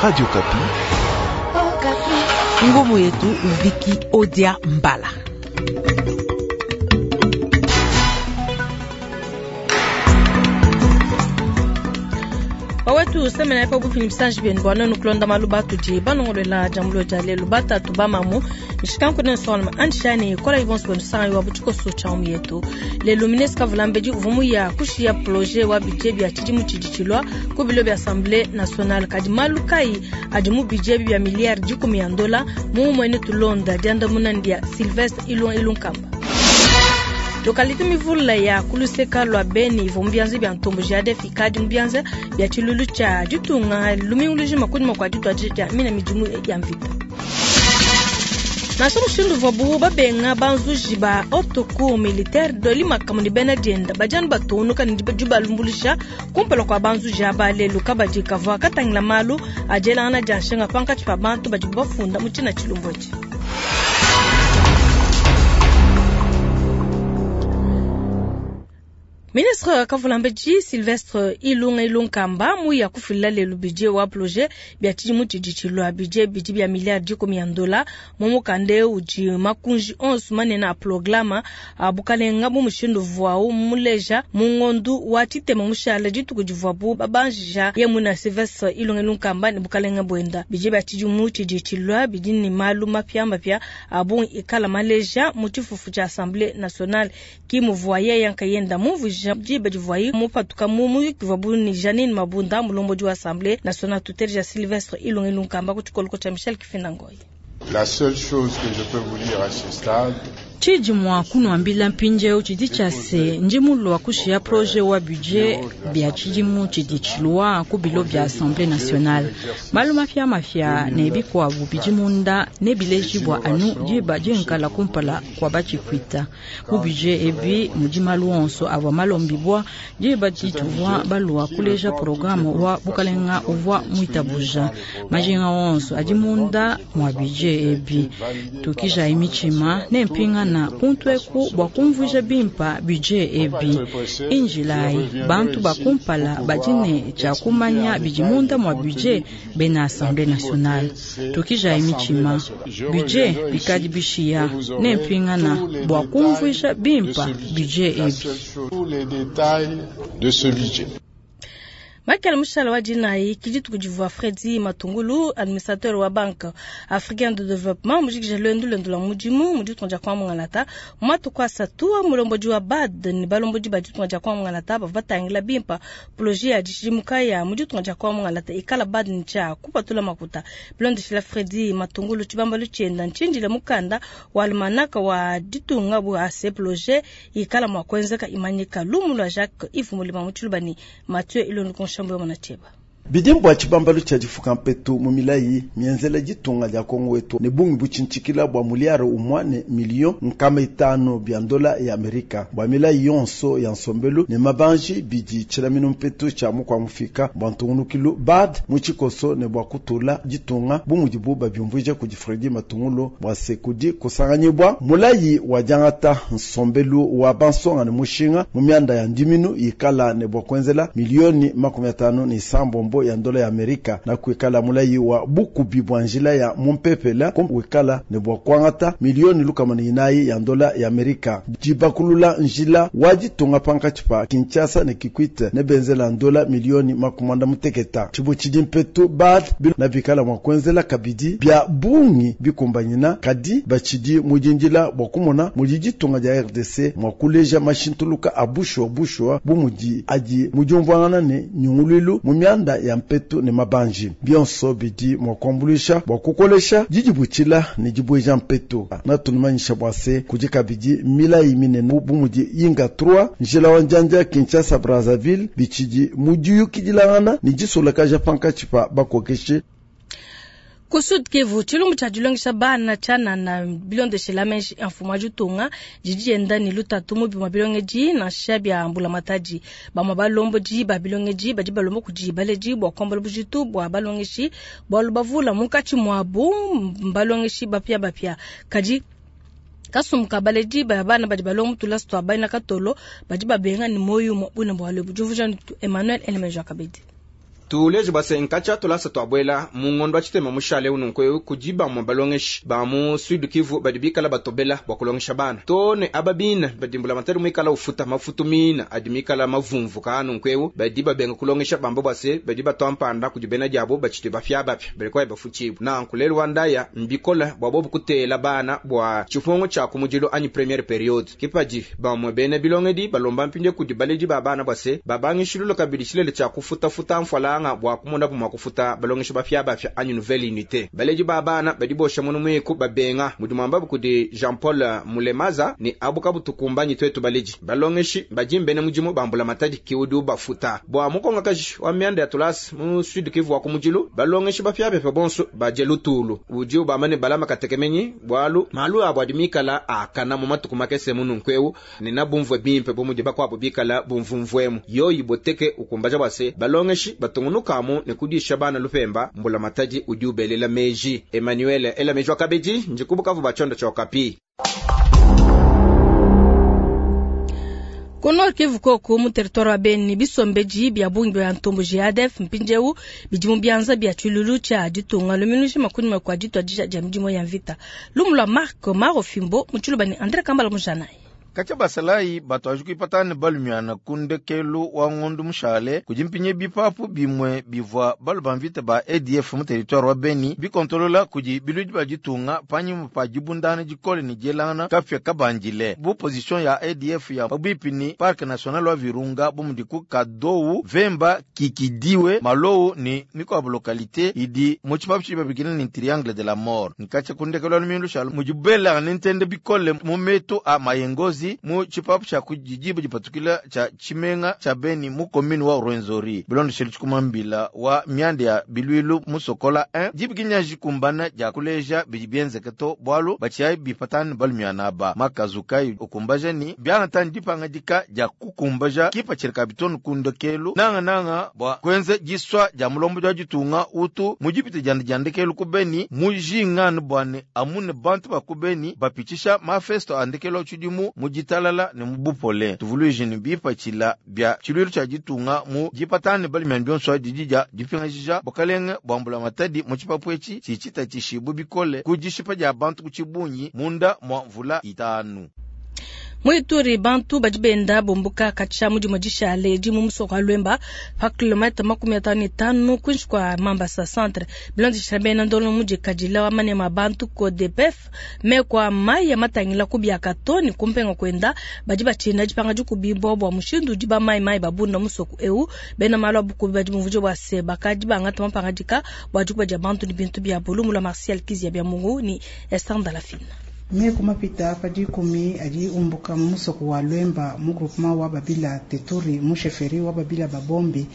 Radio Okapi. Ngumu yetu Viki Odia Mbala. Bawetu semena epa bupini bisanji bienu bua nuenu kulonda malu batudi banongoluela diambulula dia lelu batatu bamamu mishikanku ne nsongalume andishani kolayi bonso benu sangayi wa butshikoso tshia mu yetu lelu ministre kavulambedi uvua muya kushiya projet wa budget bia tshidimu tshidi tshilua ku bilo bia assemblée nationale. Kadi malu kayi adi mu budget bia miliyari dikumi ya ndola mu mumue tulonda diandamuna dia Sylvestre Ilunga Ilunkamba. Lokalite mivula ya kuluseka lua Beni ivua mu bianza bia ntomboji ya ADF ikadi mu bianza bia tshilulu tshia ditunga lumingu lujima kunyima kua dituadija dia mina midimu ya mvita. Nansha mushindu uvuabu babenga banzuji ba haute cour militaire Dolly Makamu ne bena dienda badi anu batungunuka ne dibalumbuluisha kumpala kua banzuji aba lelu. Kabadi kavua katangila malu a dielangana dia nshinga pankatshi pa bantu badibu bafunda mu tshina tshilumbu etshi. Ministre Kavulambedi Sylvestre Ilunga Ilunkamba muya kufila lelu budget wa projet bia tshidimu tshidi tshilua. Budget bidi bia miliyari dikumi ya ndola mu mukanda udi makunji onso manene a programa a bukalenga bu mushindu uvuawu muleja mu ngondu wa tshitema mushala dituku divuabu babanjija ye muina Sylvestre Ilunga Ilunkamba ne bukalenga buenda. Budget bia tshidimu tshidi tshilua bidi ne malu mapiamapia a bungi ikala maleja mu tshifufu tshia Assemblée nationale ki muvua yeye nkayenda mumvuija diba divuaye mupatuka mu muyuki uvuabu ne Janine Mabunda mulombodi wa Assemblée nationale tuteleja Sylvestre Ilunga Ilunkamba ku tshikoloko tshia Michel Kifinda Ngoyi. La seule chose que je peux vous dire à ce stade, Tshidi mua kunuambila mpindieu tshidi tshia se, ndi mulua kushiya projet wa budget bia tshidimu tshidi tshilua ku bilo bia Assemblée nationale. Malu mapiamapia ne bikuabu bidi munda ne bilejibua anu diba dinkala kumpala kua batshipwita. Mu budget ebi mudi malu onso avua malombibua diba dituvua balua kuleja programme wa bukalenga uvua muitabuja. Majinga onso adi munda mua budget ebi. Tukijayi mitshima ne mpingana kuntu eku bua kumvuija bimpa budget ebi. Injilayi bantu ba kumpala badi ne tshia kumanya bidi munda mua budget bena Assemblée nationale. Tukijayi mitshima, budget bikadi bishiya ne mpingana bua kumvuija bimpa budget ebi. Tous les détails de ce budget. Michael Mushala wa dinayi ki dituku divua Fredy Matungulu administrateur wa Banque Africaine de Développement mujikija luendu luende lua mudimu mu ditunga dia Kongo Mungalata mu matuku asatu. Mulombodi wa BAD ne balombodi ba ditunga dia Kongo Mungalata bavua batangila bimpa projet ya dishidimuka ya mu ditunga dia Kongo Mungalata ikala BAD ne tshia kupatula makuta. Bilondeshila Fredy Matungulu tshibambalu tshienda ntshindile mukanda wa almanaka wa ditunga bua se projet ikala mua kuenzeka imanyika. Lumu lua Jacques Yves Mulima mu Tshiluba ne Mathieu Ilondu Konshambo ya Mwana Bidi mbua tshibambalu tshia difuka mpetu mu milayi mienzela ditunga dia Kongo wetu ne bungi butshintshikila bua miliyari umua ne miliyo nkama itanu bia ndola ya Amerika bua milayi yonso ya nsombelu ne mabanji bidi tshilaminu mpetu tshia mukua mufika bua ntungunukilu BAD mu tshikoso ne bua kutula ditunga bu mudibu babiumvuija kudi Fredy Matungulu bua se kudi kusanganyibua mulayi wa diangata nsombelu wa bansonga ne mushinga mu mianda ya ndiminu ikala ne bua kuenzela milioni makumi atanu ne isambombo ya ndola ya Amerika na kuikala mulayi wa bukubi bua njila ya mumpepela kuikala ne bua kuangata milioni lukama ne inayi ya ndola ya Amerika. Dibakulula njila wa ditunga pankatshi pa Kinshasa ne Kikwit ne benzela ndola milioni makumi muteketa. Tshibu tshidi mpetu BAD na bikala mua kuenzela kabidi bia bungi bikumbanyina kadi batshidi mudindila bua kumona mudi ditunga dia RDC mua kuleja mashintuluka a bushuwa bushuwa bu mudi adi mudiumvuangana ne nyunguluilu mu mianda ya mpetu ne mabanji. Bionso bidi mua kuambuluisha bua kukolesha didibutshila ne dibueja mpetu. Natunumanyisha bua se kudi kabidi milayi minene bu mudi Inga 3 njila wa njanja Kinshasa Brazzaville bitshidi mudiyukidilangana ne disolakaja pankatshi pa bakokeshi. Ku Sud Kivu, tshilumbu tshia dilongesha bana tshianana bilondeshela meji a mfumu wa ditunga didi dienda ne lutatu mu bimue bilongedi nansha bia mbulamatadi. Bamue balombodi ba bilongedi badi balomba kudi baledi bua kuambula bujitu bua balongeshi bualu bavula munkatshi muabu mbalongeshi bapiabapia. Kadi kasumbu ka baledi ba bana badi balonga mu tulasa tua bena katolo badi babenga ne muoyo umue bune bualu ebu. Diumvuija Emmanuel Elemeja Kabedi. Tuleje bua se nkatshia tulasa tuabuela mu ngondo wa tshitema mushale eu nunku eu kudi bamue balongeshi ba mu Sud Kivu badi bikala batobela bua kulongesha bana to ne aba bina badi mbulamatadi muikala ufuta mafutu mina adi mikala mavumvuka nunku eu badi babenga kulongesha bamba bua se badi batua mpanda kudi bena diabo batshidi bapiabapia badi kwayi bafutshibu. Nanku lelu wa ndaya mbikola bua bobu kutela bana bua tshifungu tshia kumudilu anyi première periode. Kipadi bamue bena bilongedi balomba mpindie kudi baledi ba bana bua se babangishilula kabidi tshilele tshia kufutafuta mfualanga bua kumona bua kufuta balongeshi bapiabapia anyi nouvelle unité. Baledi ba bana badi bosha munu muiku babenga mudi muambabu kudi Jean Paul Mulemaza ni abu kabutukumbanyi twetu baledi balongeshi badi mbene mudimu bambula matadi kiudi bafuta bua mukongakaji wa mianda ya tulasa mu Sud Kivu wa kumudilu balongeshi bapiabapia bonso baje lutulu udi ubamane balama katekemenyi bwalu malu abo adi mikala akana mu matuku makese mununku eu ne nabumvwe bimpe bumudi bakwabo bikala bumvumvwemu yoyi boteke ukumbaja bwase balongeshi batungunukamu ne kudisha bana lupemba mbula matadi udi ubelela meji. Emmanuel ela meji wakabedi njikubukavu bachondo cha Okapi. Ku Nord Kivu koko mu territoire wa Beni bisombeji bya bungi bya ntombo JADF mpindieu bidi mu bianza bya tshilulu tshia ditunga luminushe makunyima kwa ditwa dija dia midimu ya mvita. Lumu lwa Marc Maro Fimbo mu tshiluba ne André Kambala Mujanayi. Kacha basalayi batwaji kuipatana balumiana kundekelu wa ngondu mushale kudi mpinye bipapu bimwe bivwa balu ba mvita ba ADF mu territoire wa Beni bikontolola kudi biludi ba ditunga panyima pa dibundana dikole ne dielangana kafya kabandile bu position ya ADF ya pabuipi ni parc national wa Virunga bu ku Kadowu Vemba Kikidiwe Malowu ni mikuabu localité idi mu tshipapu tshidi babikila ni triangle de la mort. Nkacha kundekelu wa lumindu shalo mujibela nintende bikole mu metu a mayengozi mu tshipapu tshia kudidiba dipatukila tshia tshimenga tshia Beni mu commune wa Rwenzori bilondeshele tshikumambila wa mianda ya bilwilu mu Sokola 1 dibikinya kumbana dia kuleja bidi bienzeke to bwalu batshiayi bipatana balumiana ba makazukai ukumbaja ni biangatani dipangadika dia kukumbaja kipa tshirika bitonu kundekelu nanga nanga bwa kwenze diswa dia mulombo dia ditunga utu mujipite dianda diandekelu ku Beni mujinganu bwane amune bantu ba ku Beni bapitshisha mafesto andekelu tshidimu mu ditalala ne mu bupole tuvuluije ne bipatshila bya tshilwilu tshia ditunga mu dipatane balimyani bionso didi dia dipingajija bukalenge bwa mbula matadi mu tshipapu etshi tshitshita tshishibu bikole ku dishipa dia bantu ku tshibunyi munda mwa mvula itanu. Muituri bantu badi benda bombuka katsha mudimu dishale di mu musoko wa Lwemba pa kilomètre 55 kwinshi kwa Mambasa centre bilondeshela bena ndolo mudi kadila wa manema bantu ko DPF me kwa mai ya matangila ku biakato ni kumpenga kwenda badi batshina dipanga dikubibwa bwa mushindu di ba mai mai babunda musoko eu bena malu abukubi badi muvuje bwa se bakadi bangata mapangadika bwa dikuba dia bantu ni bintu bia bulumu la Martial Kizia bya Mungu ni Esther Ndalafina. Meku mapita pa dikumi adi umbuka mu musoko wa Lwemba mu groupement wa Babila Teturi mu chefferie wa Babila Babombi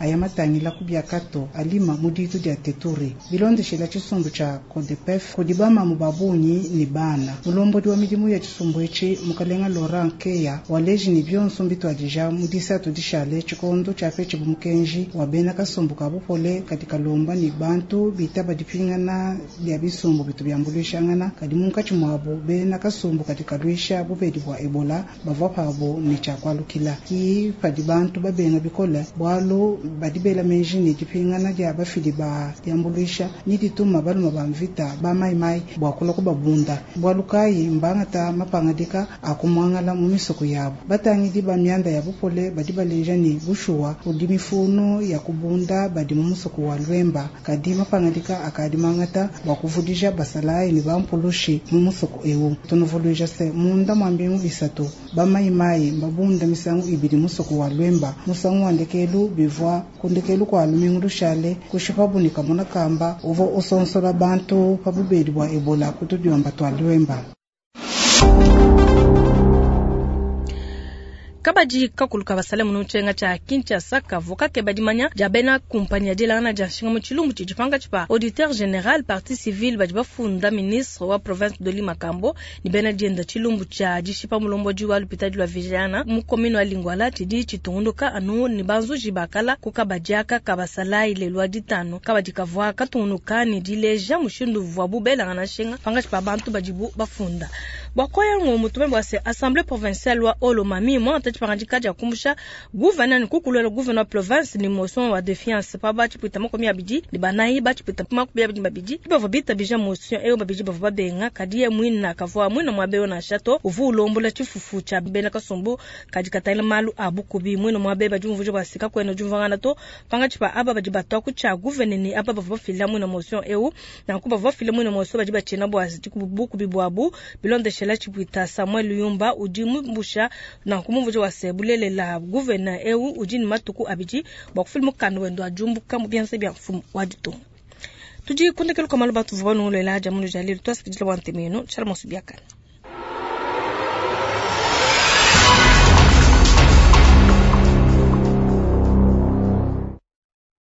aya matangila ku biakato alima mu ditu dia Teturi bilondeshela tshisumbu tshia Codepef kudi bamamu babunyi ni bana mulombodi wa midimu ya tshisumbu etshi mukalenga Laurent Keya waleji ni bionso mbitwadija mu disatu dishale tshikondo tshia petshi bumukenji wa bena kasumbu ka bupole katika lomba ni bantu bitaba dipingana bya bisumbu bitu byambulishangana kadi munkatshi mwabo bena kasumbu katika lwisha bubedi bwa Ebola bavwa pabo ni tshakwalukila ki padi bantu babenga bikola bwalu badi bela menji ni dipingana dia bafidi ba diambuluisha ni dituma baluma ba mvita ba maimai bwa kula kubabunda bwalu kayi mbangata mapangadika akumwangala mu misoko yabo batangidi ba mianda ya bupole badi baleja ni bushuwa udi mifuno ya kubunda badi mu musoko wa Lwemba kadi mapangadika akadi mangata bwa kuvudija basalayi ni bampulushi mu musoko eu tunuvuluija se munda mwa mbingu isatu bamaimai mbabunda misangu ibidi musoko wa Lwemba musangu wa ndekelu bivwa kundekelu kwa lumingu lushale kushipa bunika muna kamba uvo usonsola bantu pa bubedi bwa Ebola kutudiomba twa Lwemba. Kabadi kakuluka basale muno tshenga tsha Kinshasa kavoka ke badimanya dia bena kumpanya dilangana dia nshinga mu tshilumbu tshidipanga tshipa auditeur général partie civile badi bafunda ministre wa province de Limakambo ni bena dienda tshilumbu tsha dishipa mulombodi wa lupitadi lwa Vijana mu commune wa Lingwala tshidi tshitungunuka anu ni banzuji bakala kukabadiaka kabasala ile lwa ditano kabadi kavwa katungunuka ni dileja mushindu vwa bubelangana nshinga panga tshipa bantu badibu bafunda. Bua koya ngumu tumanye bua se Assemblee provinciale wa Haut-Lomami muangata dipangadika dia kumbusha gouverneur ne kukuluela gouverneur wa province ne motion wa defiance pa ba tshipwita 24, ba tshipwita 22 bavua bitabija motion eyo, babidi bavua babenga. Kadi ye muina kavua muina muaba eyo nansha to, uvua ulombola tshifufu tshia bena kasumbu kadi katangila malu a bukubi. Muina muaba eyo badi bumvuija bua se kakuena diumvuangana to pankatshi pa aba badi batua ku tshia gouverneur ne aba bavua bafila muina motion ewu. Nanku bavua bafila muina motion badi batshina bua bukubi buabu bilondeshela tshipwita Samuel Yumba udi mumbusha nanku mumvuija wa se bulelela gouverneur ewu udi ne matuku abidi bua kufila mukanda wende wa diumbuka mu bianza bia mfumu wa ditunga. Tudi kundekelu kwa malu batuvua banunguluela dia mulu dia lelu, tuasakidila bua ntema yenu. Tshala monso biakane.